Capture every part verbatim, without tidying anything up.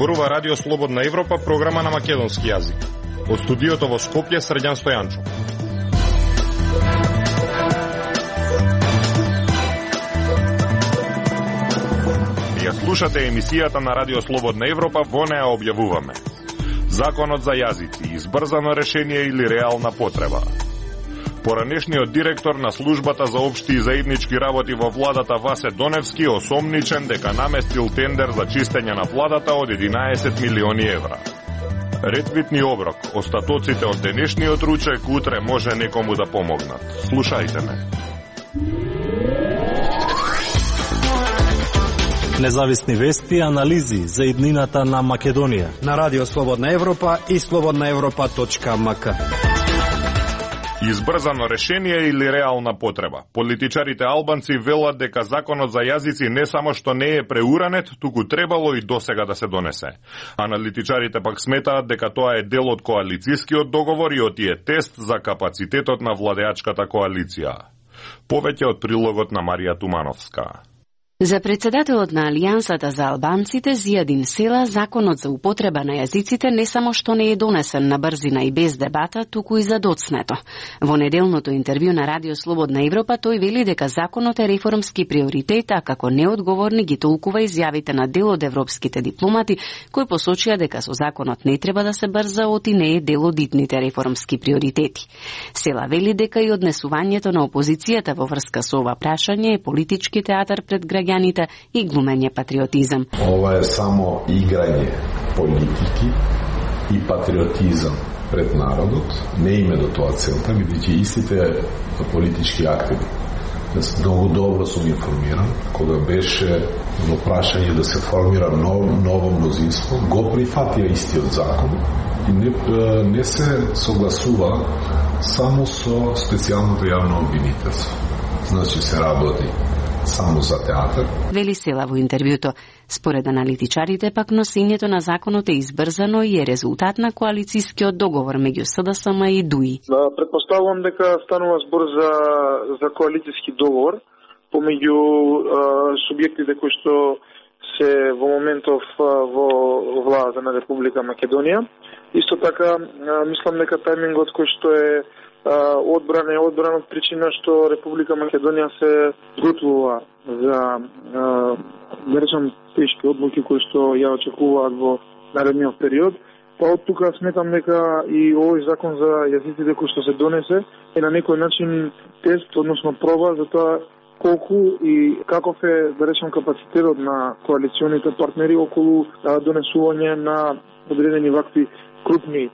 Зборува Радио Слободна Европа, програма на македонски јазик. Од студиото во Скопје, Срđan Стојанчо. Ја слушате емисијата на Радио Слободна Европа, во неа објавуваме Законот за јазици, избрзано решение или реална потреба. Поранешниот директор на службата за општи и заеднички работи во владата Васе Доневски осомничен дека наместил тендер за чистење на владата од единаесет милиони евра. Ретвитни оброк, остатоците од денешниот ручек утре може некому да помогнат. Слушајте ме. Независни вести и анализи за иднината на Македонија на Радио Слободна Европа и слободна европа точка ем ка. Избрзано решение или реална потреба. Политичарите албанци велат дека законот за јазици не само што не е преуранет, туку требало и досега да се донесе. Аналитичарите пак сметаат дека тоа е дел од коалицијскиот договор и од тие тест за капацитетот на владеачката коалиција. Повеќе од прилогот на Марија Тумановска. За председателот на Алијансата за албанците Зијадин Села, законот за употреба на јазиците не само што не е донесен на брзина и без дебата, туку и задоцнето. Во неделното интервју на Радио Слободна Европа тој вели дека законот е реформски приоритет, а како неодговорни ги толкува изјавите на дел од европските дипломати, кои посочија дека со законот не треба да се брза, оти не е дел од итните реформски приоритети. Села вели дека и однесувањето на опозицијата во врска со ова прашање е политички театар пред граѓаните и глумење патриотизам. Ова е само играње политики и патриотизам пред народот. Не име до тоа целта, бидејќи истите политички активи. Многу добро сум информиран, кога беше во прашање да се формира ново, ново мнозинство, го прифатија истиот закон и не, не се согласува само со специјалното јавно обвинителство. Значи се работи само за театар. Вели Села во интервјуто. Според аналитичарите пак носењето на законот е избрзано и е резултат на коалицијскиот договор меѓу СДСМ и ДУИ. Предпоставувам дека станува збор за за коалицијски договор помеѓу субјектите кои што се во моментов во владата на Република Македонија. Исто така мислам дека тајмингот кој што е одбрана е одбрана од причина што Република Македонија се готвува за да речам тешки одлуки кои што ја очекуваат во наредниот период. Па од тука сметам дека и овој закон за јазиците кој што се донесе е на некој начин тест, односно проба за тоа колку и каков е, да речам, капацитетот на коалиционите партнери околу донесување на одредени вакви крупни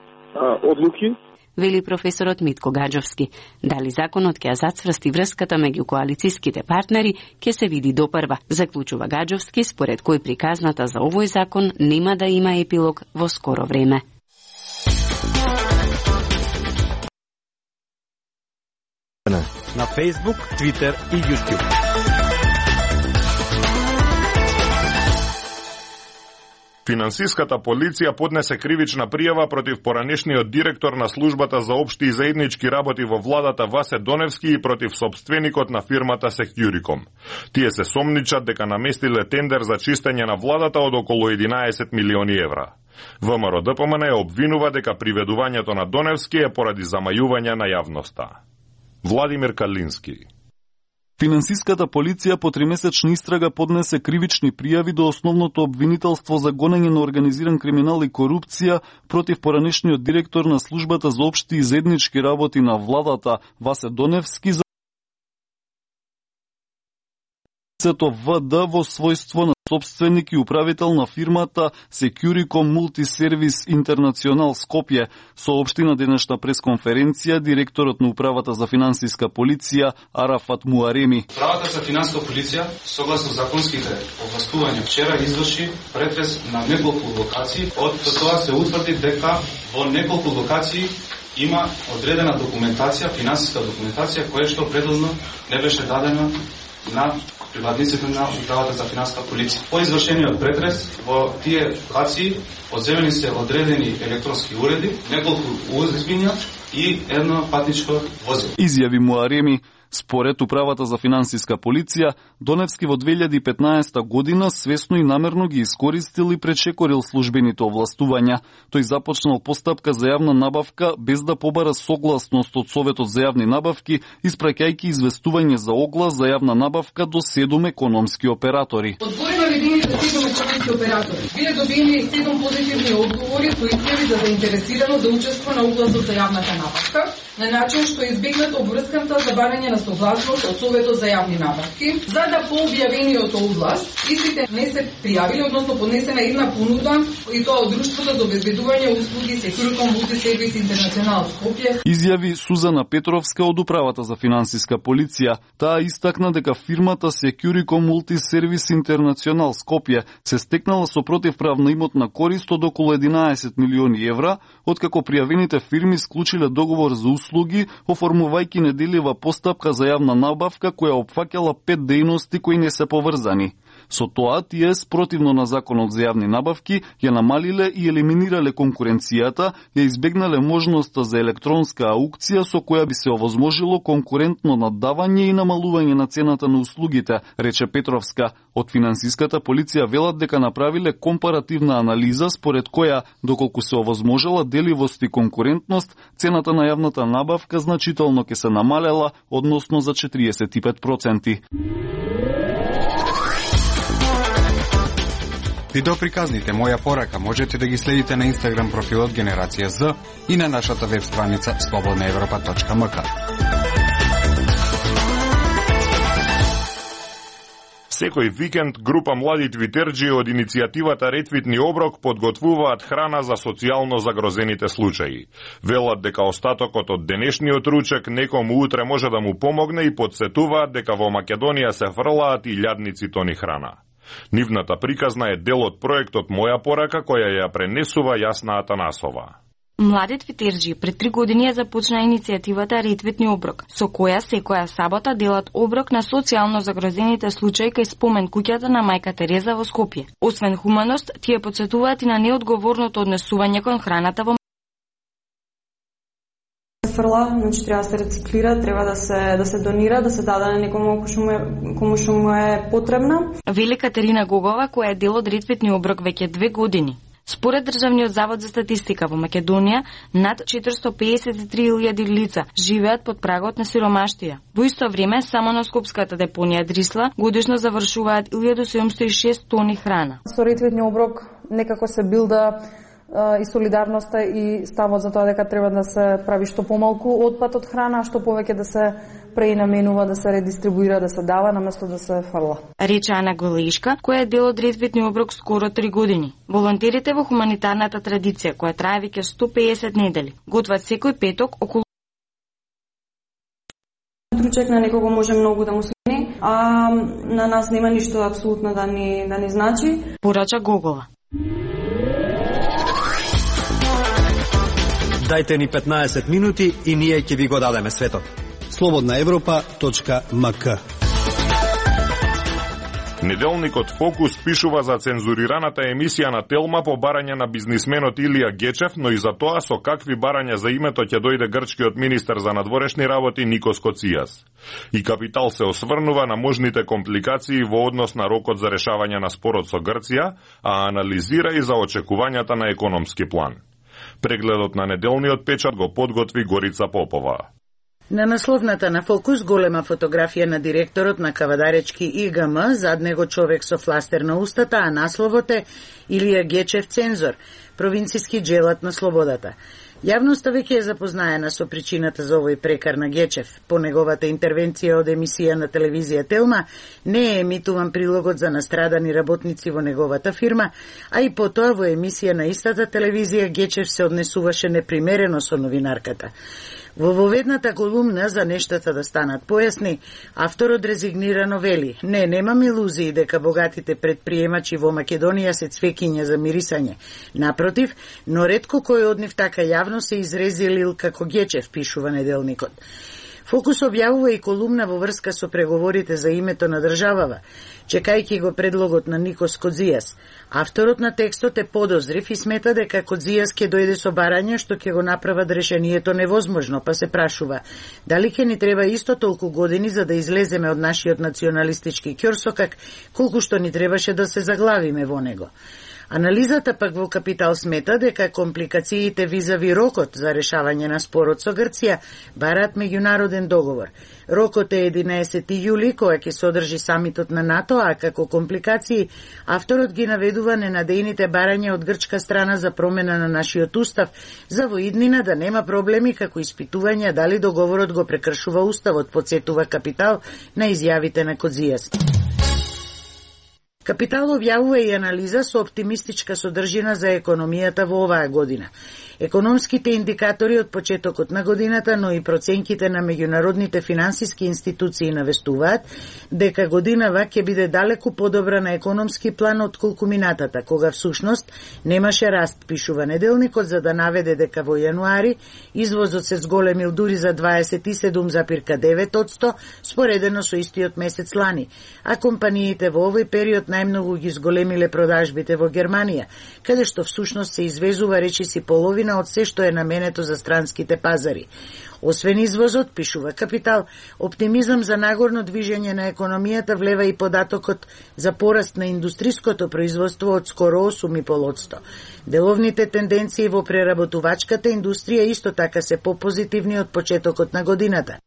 одлуки. Вели професорот Митко Гаджовски. Дали законот ќе ја зацврсти врската меѓу коалицијските партнери, ќе се види допрва. Заклучува Гаджовски, според кој приказната за овој закон нема да има епилог во скоро време. На Facebook, Twitter и YouTube. Финансиската полиција поднесе кривична пријава против поранешниот директор на службата за општи и заеднички работи во владата Васе Доневски и против собственикот на фирмата Securicom. Тие се сомничат дека наместиле тендер за чистење на владата од околу единаесет милиони евра. ВМРО Д П М Н ја обвинува дека приведувањето на Доневски е поради замајување на јавноста. Владимир Калински. Финансиската полиција по тримесечна истрага поднесе кривични пријави до основното обвинителство за гонење на организиран криминал и корупција против поранешниот директор на службата за општи и заеднички работи на владата Васе Доневски за В Д во својство на собственик и управител на фирмата Securicom Multiservice International Скопје, соопшти на денешна пресконференција директорот на управата за финансиска полиција Арафат Муареми. Управата за финансиска полиција, согласно законските овластувања, вчера изврши претрес на неколку локации. Од тоа се утврди дека во неколку локации има одредена документација, финансиска документација, која што предходно не беше дадена на приватниците на управата за финансиска полиција. По извршениот претрес во тие локации одземени се одредени електронски уреди, неколку у ес би и едно патничко возило. Изјави Муареми. Според Управата за финансиска полиција, Доневски во две илјади и петнаесета година свесно и намерно ги искористил и пречекорил службените овластувања. Тој започнал постапка за јавна набавка без да побара согласност од Советот за јавни набавки, испраќајќи известување за оглас за јавна набавка до седум економски оператори. Од збори наведените седум економски оператори биле добиени седум позитивни одговори со изјави за заинтересирано да учества на огласот за јавната набавка, на начин што избегнат обврската за барање на согласност од Советот за јавни набавки. За да по објавениот оглас, истите не се пријавили, односно поднесена една понуда, и тоа од Друштвото за обезбедување услуги Секуриком Мултисервис Интернационал Скопје. Изјави Сузана Петровска од Управата за финансиска полиција. Таа истакна дека фирмата Securicom Multiservice International Скопје се стекнала со противправна имотна корист од околу единаесет милиони евра, откако пријавените фирми склучиле договор за услуги, оформувајќи неделива постапка за јавна набавка која опфаќала пет дејности кои не се поврзани. Со тоа, тие, спротивно на Законот за јавни набавки, ја намалиле и елиминирале конкуренцијата, ја избегнале можноста за електронска аукција со која би се овозможило конкурентно наддавање и намалување на цената на услугите, рече Петровска. Од финансиската полиција велат дека направиле компаративна анализа според која, доколку се овозможела деливост и конкурентност, цената на јавната набавка значително ќе се намалела, односно за четириесет и пет проценти. Видеоприказните Моја порака можете да ги следите на Инстаграм профилот Генерација З и на нашата веб страница слободна европа точка ем ка. Секој викенд група млади твитерџи од иницијативата Ретвитни оброк подготвуваат храна за социјално загрозените случаи. Велат дека остатокот од денешниот ручек некому утре може да му помогне и подсетуваат дека во Македонија се фрлаат и илјадници тони храна. Нивната приказна е дел од проектот Моја порака, која ја пренесува Јасна Атанасова. Млади твитерџи пред три години ја започна иницијативата Ретвитни оброк, со која секоја сабота делат оброк на социјално загрозените случаи кај спомен куќата на мајка Тереза во Скопје. Освен хуманост, тие потсетуваат и на неодговорното однесување кон храната во фрла, значи треба да се рециклира, треба да се да се донира, да се даде на некому кому што му е потребна. Вели Катерина Гогова, која е дел од Ретвитни оброк веќе две години. Според Државниот завод за статистика во Македонија, над четиристотини пеесет и три илјади лица живеат под прагот на сиромаштија. Во исто време, само на скопската депонија Дрисла годишно завршуваат илјада седумстотини и шест тони храна. Со Ретвитни оброк некако се билда и солидарноста и ставот за тоа дека треба да се прави што помалку отпад од храна, што повеќе да се пренаменува, да се редистрибуира, да се дава наместо да се фрла. Рече Ана Голешка, која е дел од Ретвитни оброк скоро три години. Волонтерите во хуманитарната традиција, која трае веќе сто пеесет недели, готват секој петок околу Тручек на некого може многу да му смени, а на нас нема ништо апсолутно да ни да ни значи. Порача Гогова. Дајте ни петнаесет минути и ние ќе ви го дадеме светот. слободна европа точка ем ка. Неделникот Фокус пишува за цензурираната емисија на Телма по барање на бизнисменот Илија Гечев, но и за тоа со какви барања за името ќе дојде грчкиот министер за надворешни работи Никос Коцијас. И Капитал се осврнува на можните компликации во однос на рокот за решавање на спорот со Грција, а анализира и за очекувањата на економски план. Прегледот на неделниот печат го подготви Горица Попова. На насловната на Фокус голема фотографија на директорот на Кавадаречки И Г М, зад него човек со фластер на устата, а насловот е Илија Гечев цензор, провинциски джелат на слободата. Јавноста веќе е запознаена со причината за овој прекар на Гечев. По неговата интервенција од емисија на телевизија Телма не е емитуван прилогот за настрадани работници во неговата фирма, а и потоа во емисија на истата телевизија Гечев се однесуваше непримерено со новинарката. Во воведната колумна за нештата да станат појасни, авторот резигнирано вели: "Не, немам илузии дека богатите предприемачи во Македонија се цвекиња за мирисање. Напротив, но ретко кој од нив така јавно се изрезилил како Гечев", пишува неделникот. Фокус објавува и колумна во врска со преговорите за името на државава, чекајќи го предлогот на Никос Кодзијас. Авторот на текстот е подозрив и смета дека Кодзијас ќе дојде со барање што ќе го направат решението невозможно, па се прашува дали ќе ни треба исто толку години за да излеземе од нашиот националистички ќорсокак, колку што ни требаше да се заглавиме во него. Анализата пак во Капитал смета дека компликациите визави рокот за решавање на спорот со Грција бараат меѓународен договор. Рокот е единаесети јули, која ќе содржи самитот на НАТО, а како компликации авторот ги наведува ненадејните барања од грчка страна за промена на нашиот устав, за во иднина да нема проблеми како испитување дали договорот го прекршува уставот, потсетува Капитал на изјавите на Кодзијас. Капитал објавува и анализа со оптимистичка содржина за економијата во оваа година. Економските индикатори од почетокот на годината, но и проценките на меѓународните финансиски институции навестуваат дека годинава ќе биде далеку подобра на економски план од колку минатата, кога всушност немаше раст, пишува Неделникот, за да наведе дека во јануари извозот се зголемил дури за дваесет и седум зарез девет одсто споредено со истиот месец лани, а компаниите во овој период најмногу ги зголемиле продажбите во Германија, каде што всушност се извезува речиси половина од се што е наменето за странските пазари. Освен извозот, пишува Капитал, оптимизам за нагорно движење на економијата влева и податокот за пораст на индустриското производство од скоро осум и пет одсто. Деловните тенденции во преработувачката индустрија исто така се попозитивни од почетокот на годината.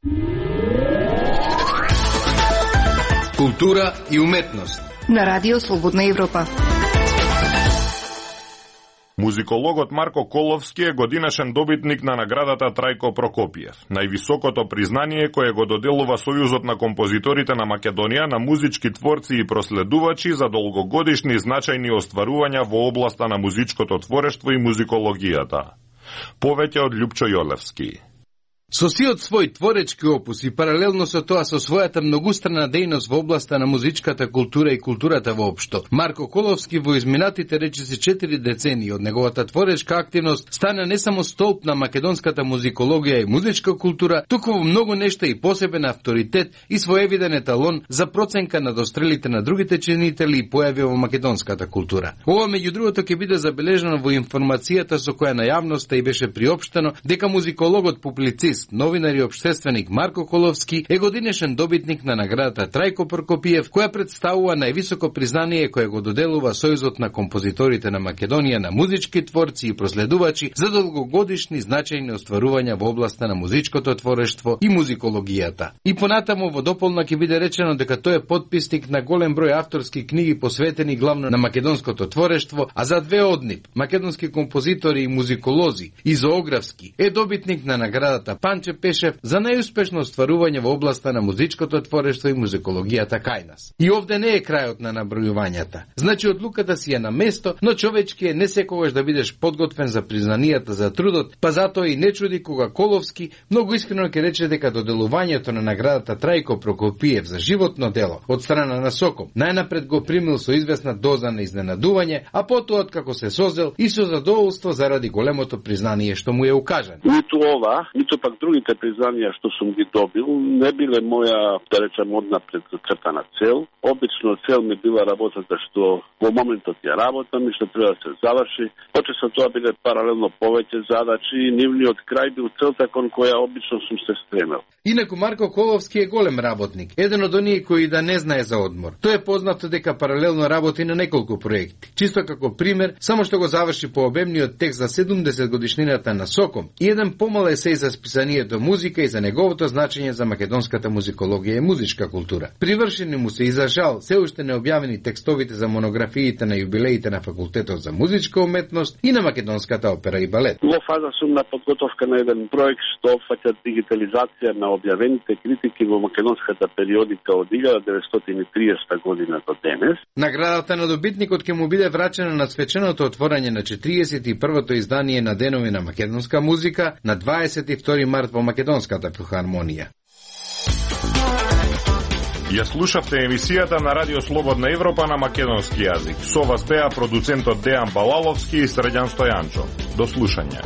Култура и уметност на Радио Слободна Европа. Музикологот Марко Коловски е годинашен добитник на наградата Трајко Прокопиев, највисокото признание кое го доделува Сојузот на композиторите на Македонија на музички творци и проследувачи за долгогодишни значајни остварувања во областа на музичкото творештво и музикологијата. Повеќе од Љупчо Јолевски. Со сиот свој творечки опус и паралелно со тоа со својата многустрана дејност во областа на музичката култура и културата воопшто, Марко Коловски во изминатите речиси четири децении од неговата творечка активност стана не само столб на македонската музикологија и музичка култура, туку во многу нешта и посебен авторитет и своевиден еталон за проценка на дострелите на другите чинители и појави во македонската култура. Ова меѓу другото ќе биде забележано во информацијата со која на јавноста и беше приопштено дека музикологот публицист, новинар и општественик Марко Коловски е годинешен добитник на наградата Трајко Прокопиев, која представува највисоко признание кое го доделува Сојузот на композиторите на Македонија на музички творци и проследувачи за долгогодишни значајни остварувања во областа на музичкото творештво и музикологијата. И понатаму во дополна ќе биде речено дека тој е потписник на голем број авторски книги посветени главно на македонското творештво, а за две од нив, македонски композитори и музиколози и зоографски, е добитник на наградата Панче Пешев за најуспешно остварување во областа на музичкото творештво и музикологијата кај нас. И овде не е крајот на набројувањата. Значи одлуката си е на место, но човечки е не секогаш да бидеш подготвен за признанијата за трудот, па затоа и не чуди кога Коловски многу искрено ќе рече дека доделувањето на наградата Трајко Прокопиев за животно дело од страна на Соком најнапред го примил со известна доза на изненадување, а потоа откако се созел и со задоволство заради големото признание што му е укажано. Ниту ова, ниту пак другите признанија што сум ги добил не биле моја, да речем, однапред зацртана цел. Обично цел ми била работата што во моментот ја работам и што треба да се заврши. Поче со тоа биле паралелно повеќе задачи и нивниот крај бил целта кон која обично сум се стремел. Инаку Марко Коловски е голем работник, еден од оние кои да не знае за одмор. Тој е познато дека паралелно работи на неколку проекти. Чисто како пример, само што го заврши по обемниот текст за седумдесет годишнината на Соком и еден помал есеј за списанието музика и за неговото значење за македонската музикологија и музичка култура. Привршени му се и за жал се уште необјавени текстовите за монографиите на јубилеите на Факултетот за музичка уметност и на Македонската опера и балет. Во фаза сум на подготовка на еден проект што опфаќа дигитализација на објавените критики во македонската периодика од илјада деветстотини и триесета година до денес. Наградата на добитникот ќе му биде врачена на свеченото отворање на четириесет и првото издание на Денови на македонска музика на дваесет и втори март во Македонската филхармонија. Ја слушавте емисијата на Радио Слободна Европа на македонски јазик. Со вас беа продуцентот Дејан Балаловски и Средјан Стојанчо. До слушање.